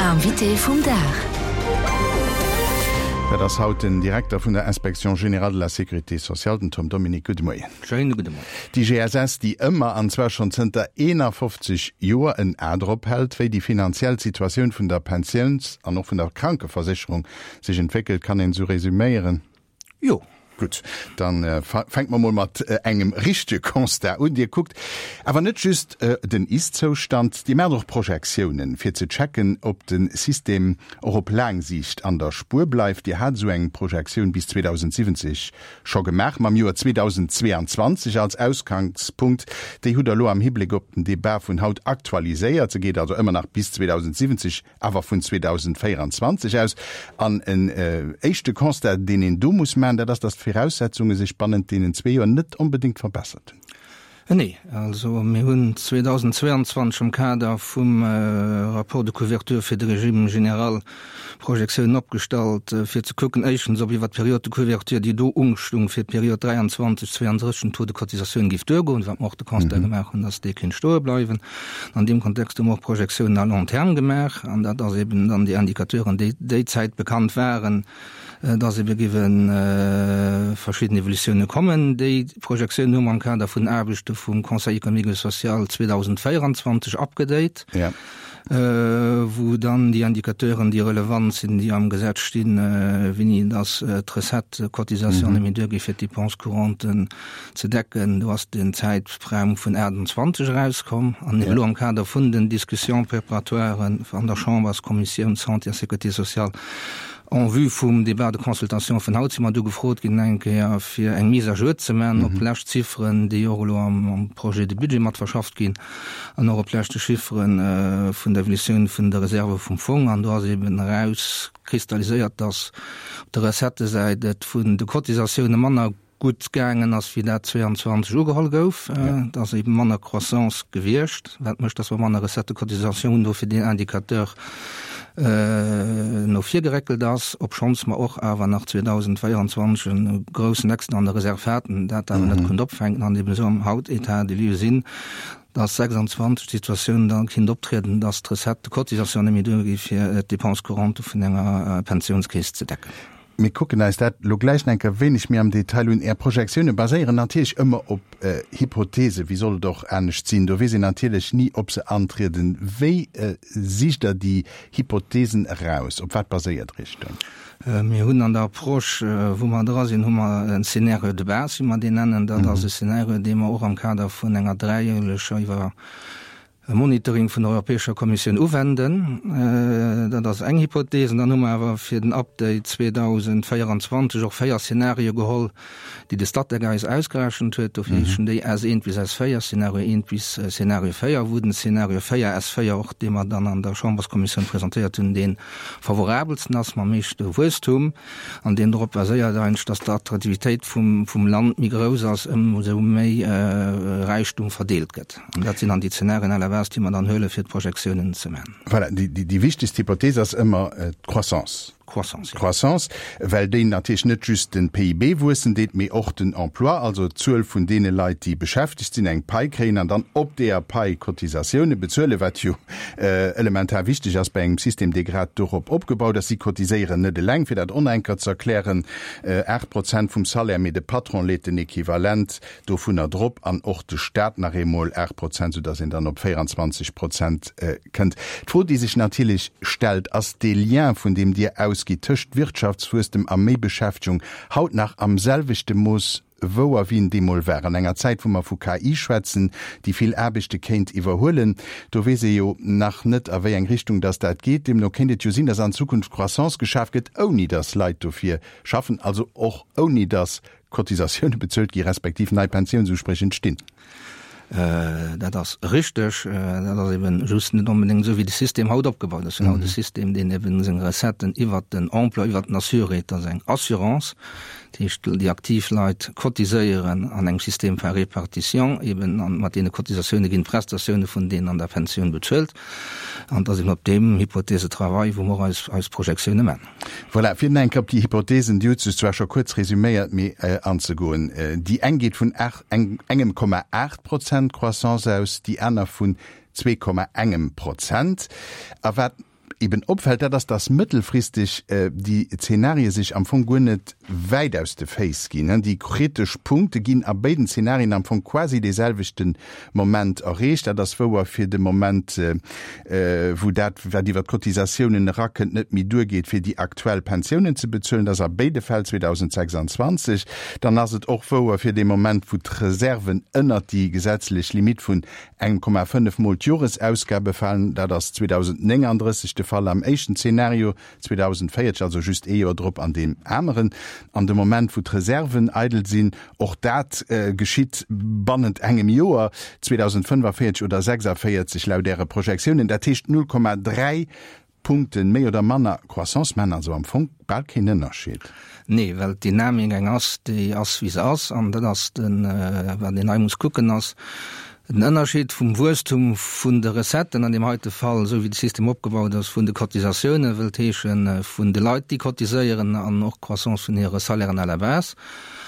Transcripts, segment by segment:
Invité vum Dag. Dat ass haut den Direkter vun der Inspection générale de la sécurité sociale, den Tom Dominique. Gudde Moien. Schéine gudde Moien. D'IGSS, déi ëmmer, an zwar schonn zënter 51 Joer, en A drop hält, wéi déi finanziell Situatioun vun der Pensiouns an och vun der Krankeversécherung sech entwéckelt, kann een esou resüméieren? Jo. Gutt, dann fänke mer mol mat engem richtege Constat un. Dir kuckt awer net just den Ist-Zoustand, Dir maacht och Projektiounen, fir ze checken, ob de System och op laang Siicht an der Spuer bleift. Dir hat esou eng Projektioun bis 2070 scho gemaach, mam Joer 2022 als Ausgangspunkt. Déi hutt Der elo am Hibléck op den Debat vun haut aktualiséiert. Se geet also ëmmer nach bis 2070. Awer vun 2024 aus. An en éischte Constat, deen een do muss maachen, dat ass, datt d'Viraussetzunge sech bannent deenen zwee Joer net onbedéngt verbessert hunn. Nee, also mir hunn 2022 am Kader vum Rapport de couverture fir de Régime général Projektiounen opgestallt, fir ze kucken, éischtens, ob iwwert d'Période de couverture, déi do ustung fir d'Period 23, 32, den Taux de cotisatioun géif duergoen, wat mer och de Constat gemaach hunn, datt dee kéint stoe bleiwen. An deem Kontext hu mer och Projektiounen à long terme gemaach, an dat ass eben dann déi Indicateuren, déi déi Zäit bekannt waren, dass ebe géiwe verschidden Evolutiounen kommen. Déi Projektiounen hu mer am Kader vun Aarbechte vum Conseil économique et social 2024 upgedate. Wou dann déi Indicateuren, déi relevant sinn, déi am Gesetz stinn, wéini dass d'Recette-Cotisation net méi duergeet, fir d'Dépenses courantes ze decken. Do ass den Zäitraum vun 28 erauskomm. An elo am Kader vun den Discussions préparatoires an der Chamberskommissioun Santé a Sécurité sociale en vue vum Débat de consultation vun haut si mer du gefrot ginn eng Kéier fir eng Mise à jour ze man op lescht Zifferen, déi och elo am Projet de budget mat verschafft ginn an och op leschte Chiffere vun der Evolutioun vun der Reserve vum Fong. An do ass eben erauskristalliséiert, dass op der Recettësäit et vun de Cotisatioune manner gutt gaangen ass, wéi dat 22 ugeholl gouf. Et ass eben manner Croissance gewiescht, wat mécht, dass mer manner Recettes de cotisation hunn, dofir deen Indicateur no vir geréckelt ass, obschonns mer och awer nach 2024 e groussen Excédent an der Reserve haten, dat awer net konnt opfänken an eben esou am haut État des lieux sinn, dass 26 d'Situatioun da kinnt optrieden, dass d'Recettes de cotisation net méi duergi fir d'Dépenses courantes vun enger Pensiounskeess ze decken. Mir kucken eis dat elo gläich nach eng Kéier wéineg méi am Detail un. Är Projektioune baséieren natierlech ëmmer op Hypothesen. Wéi soll et och anescht sinn? Do weess een natierlech ni, ob se antrieden. Wéi sicht Der déi Hypothesen eraus? Op wat baséiert Der Iech do? Mir hunn an der Approche, wou mer dra sinn, hu mer en Scénario de base, wéi mer deen nennen. Dat ass e Scénario, dee mer och am Kader vun enger dräijähleger Iwwer e Monitoring vun der Europäescher Kommissioun uwenden. Dat ass eng Hypothese. An dann hu mer awer fir den Update 2024 och 4 Szenarie geholl, déi de Statec eis ausgerechent huet. Dofir heeschen déi S1 bis S4, Szenario 1 bis Szenario 4, wou den Szenario 4, S4 och, dee mer dann an der Chamberskommissioun presentéiert hunn, dee favorabelsten ass, mam meeschte Wuesstum. An deen drop baséiert eigentlech, dass d'Attraktivitéit vum Land méi grouss ass, ëmsou méi Räichtum verdeelt gëtt. An dat sinn dann déi Zenarien à la base, déi mer dann huelen, fir d'Projektiounen ze maachen. Voilà, déi wichtegst Hypothees ass ëmmer d'Croissance. D'Croissance, jo. D'Croissance, well déi natierlech net just de PIB wuessen deet, mee och den Emploi, also d'Zuel vun deene Leit, déi beschäftegt sinn, eng Pai kréien an dann op deeër Pai Cotisatioune bezuelen, wat jo elementar wichteg ass bei engem System, dee grad dorop opgebaut ass. Si cotiséieren net eleng, fir dat och nach eng Kéier ze erklären, 8 Prozent vum Salaire, mee de Patron leet den Equivalent dovunner drop an och de Staat nach eemol 8 Prozent, soudass een dann op 24 Prozent kënnt. D'Fro, déi sech natierlech stellt, Ass dee Lien, vun deem Dir ausgitt, tëscht Wirtschaftswuesstem a méi Beschäftegung haut nach am selwechte Mooss wouer, wéi en deemol war? An enger Zäit, wou mer vu KI schwätzen, déi vill Aarbechte kéint iwwerhuelen, do weess ee jo nach net, a wéi eng Richtung dass dat geet. Deemno kéint et jo sinn, dass an Zukunft Croissance geschaf gëtt, ouni dass Leit dofir schaffen, also och ouni dass Cotisatioune bezuelt gi respektiv nei Pensiounsuspréch entstinn. Dat ass richteg. Dat ass eben just net onbedéngt esou, wéi de System haut opgebaut ass. Mir hunn haut e System, deen eben seng Recetten iwwert den Emploi, iwwert den Assuré, dat ass eng Assurance, dat heescht déi aktiv Leit cotiséieren an engem System par répartition eben, an mat deene Cotisatioune ginn d'Prestatioune vun deenen an der Pensioun bezuelt. An et ass eben op deem Hypothèse de travail, wou mer och eis, eis Projektioune man. Voilà, fir nach eng Kéier op déi Hypothesen, Dir hutt se zwar scho kuerz resüméiert, mee anzegoen. Déi eng geet vun engem Komma 8 Prozent Croissance aus, déi aner vun zwee Komma engem Prozent. A wat. eben opfält, dat ass, dass mëttelfristeg déi Zenarie sech am Fong guer net wäit aus de Féiss ginn. Déi kritesch Punkte ginn a béiden Zenarien am Fong quasi dee selwechte Moment erreecht. Dat ass wouer fir de Moment, wou dat, wat iwwer d'Cotisatiounen erakënnt, net méi duergeet, fir déi aktuell Pensiounen ze bezuelen. Dat ass a béide Fäll 2026. Dann ass et och wouer fir dee Moment, wou d'Reserven ënnert déi gesetzlech Limitt vun engem Komma 5 Mol d'Joresausgabe falen. Dat ass 2039 de Fall am éischten Zeenario, 2040, also just ee Joer drop, an deem aneren. An de Moment, wou d'Reserven eidel sinn, och dat geschitt bannent engem Joer, 2045 oder 46 laut Äre Projektiounen, dat heescht 0,3 Punkten méi oder manner Croissance maachen also am Fong bal keen Ënnerscheed. Nee, well d'Dynamik eng ass, déi ass wéi se ass. An dat ass den, wat een hei muss kucken, ass den Ënnerscheed vum Wuesstum vun de Recetten, an deem heite Fall, esou wéi de System opgebaut ass, vun de Cotisatiounen, wëllt heeschen vun de Leit, déi cotiséieren, an och d'Croissance vun hire Salairen à la base,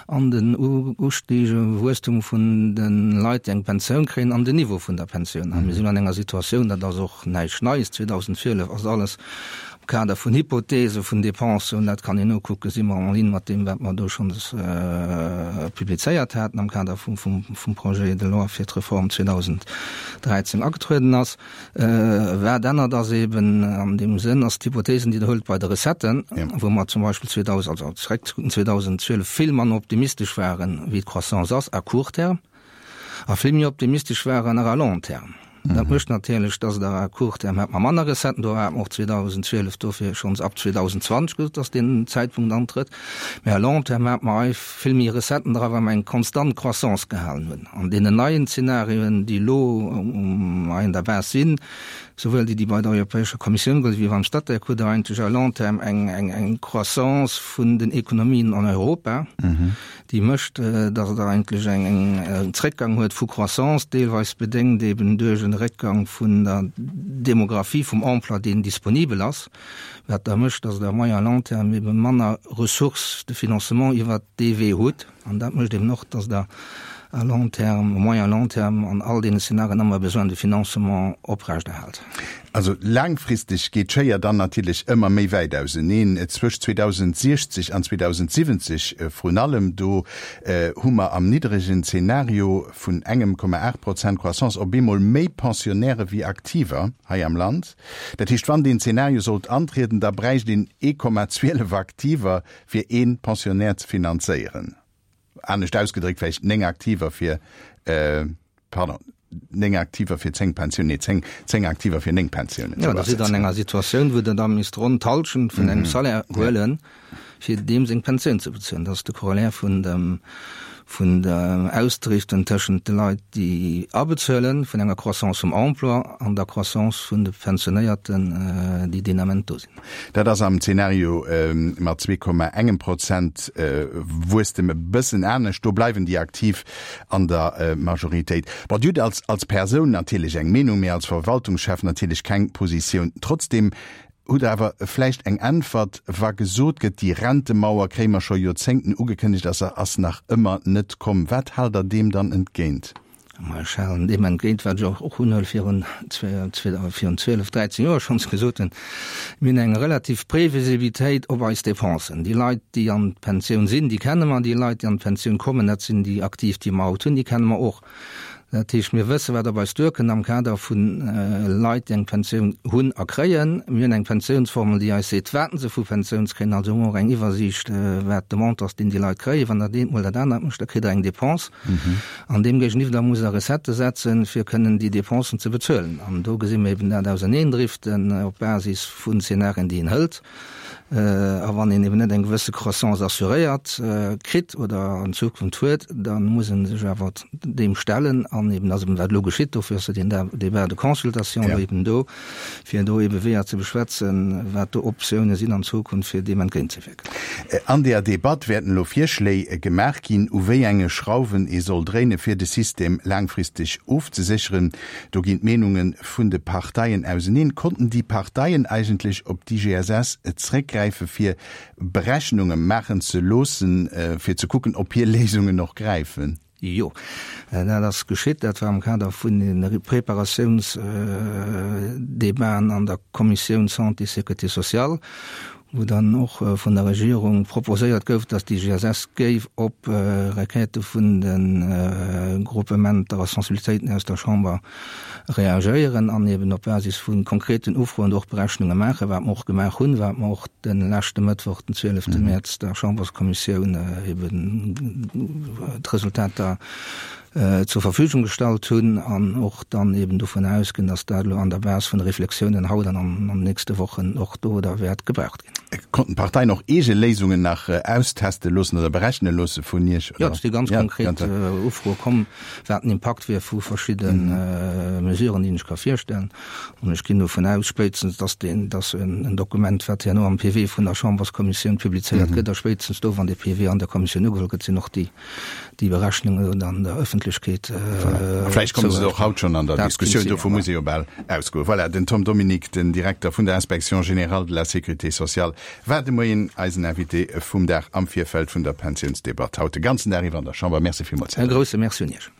an den ustige Wuesstum vun de Leit, déi eng Pensioun kréien, an den Niveau vun der Pensioun. A mir sinn an enger Situatioun, dat ass och näischt Neies, 2012 ass alles am Kader vun Hypothese vun Dépensen, dat kann een nokucken, si mer en ligne mat deem, wat mer do schonns publizéiert haten am Kader vum Projet de loi fir d'Reform 2013 agetrueden ass. Wat ännert ass eben an deem Sënn, ass d'Hypothesen, déi Der huelt bei de Recetten, wou mer zum Beispill 2000, also zeréckzekucken, 2012 vill manner optimistesch waren, wéi d'Croissance ass à court terme, a vill méi optimistesch waren nach à long terme. Dat mécht natierlech, dass Der à court terme hat mer manner Recetten, do hate mer och 2012 dofir schonns ab 2020 gesot, dass deen Zäitpunkt antrëtt, mä à long terme hate mer hei vill méi Recetten dra, well mer eng konstant Croissance gehalen hunn. An deenen neien Zenarioen, déi elo hei an der Base sinn, souwuel déi, déi bei der Europäescher Kommissioun gëllen, wéi beim Statec, hutt Der eigentlech à long terme eng Croissance vun den Ekonomien an Europa, déi mécht, datt Der eigentlech en Zréckgang huet vu Croissance, deelweis bedéngt eben duerch e Réckgang vun der Demographie, vum Emploi, deen disponibel ass, wat da mécht, datt Der à moyen long terme ebe manner Ressources de financement iwwert dee Wee hutt. An dat mécht eben och, datt Der à long terme, à moyen long terme an all deene Szenarien ëmmer e Besoin de financement oprechterhält. Also laangfristeg geet d'Schéier dann natierlech ëmmer méi wäit auseneen. Zwëscht 2060 an 2070 vrun allem, do hu mer am niddregen Zeenario vun engem Komma 8 Prozent Croissance op eemol méi Pensionnairë wéi Aktiver hei am Land. Dat heescht, wann deen Zeenario sollt antrieden, da bräicht een 1,12 Aktiver fir ee Pensionnaire ze finanzéieren. Anescht ausgedréckt vläicht 9 Aktiver fir, pardon, 9 Aktiver fir 10 Pensiounen, nee 10, 10 Aktiver fir 9 Pensiounen. Jo, da sidd Der an enger Situatioun, wou Der da misst ronn d'Hallschent vun engem Salaire huelen, fir deem seng Pensioun ze bezuelen. Dat ass de Corollaire vun dem, vun der Ausdriften tëschent de Leit, déi abezuelen, vun enger Croissance vum Emploi an der Croissance vun de Pensionéierten, déi deen Ament do sinn. Dat ass am Zeenario mat 2,engem Prozent Wuesstem e bëssen anescht. Do bleiwen déi Aktiv an der Majoritéit. Bon, Dir hutt als als Persoun natierlech eng Meenung, mee als Verwaltungschef natierlech keng Positioun. Trotzdeem hutt Der awer vläicht eng Äntwert, wa gesot gëtt, déi Rentemauer kréie mer scho Joerzéngten ugekënnegt a se ass nach ëmmer net komm. Wat haalt Der deem dann entgéint? Ma ech halen deem entgéint, wat ech och hunn virun 12, 13 Joer schonns gesot hunn, Mir hunn eng relativ Previsibilitéit op eis Dépensen. Déi Leit, déi an d'Pensioun sinn, déi kenne mer. Déi Leit, déi an d'Pensioun kommen, dat sinn déi Aktiv, déi mer haut hunn, déi kenne mer och. Dat heescht, mir wëssen, wat op eis duerkënnt am Kader vu Leit, déi eng Pensioun hunn a kréien. Mir hunn eng Pensiounsformel, déi eis seet, wat se vu Pensiouns kréien. Also hu mer och eng Iwwersiicht, wat de Montant ass, deen déi Leit kréien. Wann Der dat eent mol dat anert mécht, da kritt Der eng Dépense. An deem géigeniwwer muss Der Recettë setzen, fir kënnen déi Dépensen ze bezuelen. An do gesi mer eben dat Auserneendriften op Basis vun Szenarien, déi een hëlt. A wann een eben net eng gewësse Croissance assuréiert kritt oder an Zukunft huet, da muss ee sech awer deem stellen. An eben ass eben wat elo geschitt, dofir ass jo deen Débat de consultation elo eben do, fir do ebe Weeër ze beschwätzen, wat do Optioune sinn an Zukunft, fir deem entgéintzewierken. An deeër Debatt wäerten elo Virschléi gemaach ginn, u wéi enge Schrauwen ee soll dréine fir de System laangfristeg ofzesécheren. Do ginn d'Meenunge vun de Parteien auseneen. Konnten déi Parteien eigentlech op d'IGSS zréckgräife fir Berechnunge maachen ze loossen, fir ze kucken, ob hir Léisungen och gräifen? Jo, dat ass geschitt. Dat war am Kader vun de Preparatiounsdebaten an der Kommissioun Santé, Sécurité sociale, wou dann och vun der Regierung proposéiert gouf, dass déi GSS géif op Requête vun de Gruppementer a Sensibilitéiten aus der Chamber reagéieren an eben op Basis vu konkreten Ufroen do och Berechnunge maachen, wat mer och gemaach hunn, wat mer och de leschte Mëttwoch, den 12. Mäerz, der Chamberskommissioun eben d'Resultater zur Verfügung gestallt hunn an och dann eben dovun ausginn, dass dat elo an der Base vun de Reflexiounen haut an an den nächste Wochen och do da wäert gebraucht ginn. Konnten d'Parteien och eege Léisungen nach austeste loossen oder berechne loosse vun Iech? Jo, et si ganz konkret Ufroe komm, wat den Impakt wier vu verschidde Mesuren, déi een sech ka virstellen. An ech ginn dovun aus, spéitstens, dass deen, dass en Dokument, wat herno am PV vun der Chamberskommissioun publizéiert gëtt, a spéitstens do, wann dee PV an der Kommissioun ugeholl gëtt, sinn och déi, déi Berechnungen dann der Ëffentlechkeet Voilà. A vläicht komme se och haut schonn an der Diskussioun, dovu muss ee jo bal ausgoen. Voilà, den Tom Dominique, den Direkter vun der Inspection générale de la Sécurité sociale, war de Moien eisen Invité vum Dag am Virfeld vun der Pensiounsdebatt haut de ganzen Dag iwwer an der Chamber. Merci villmools, Här E grousse Merci un Iech.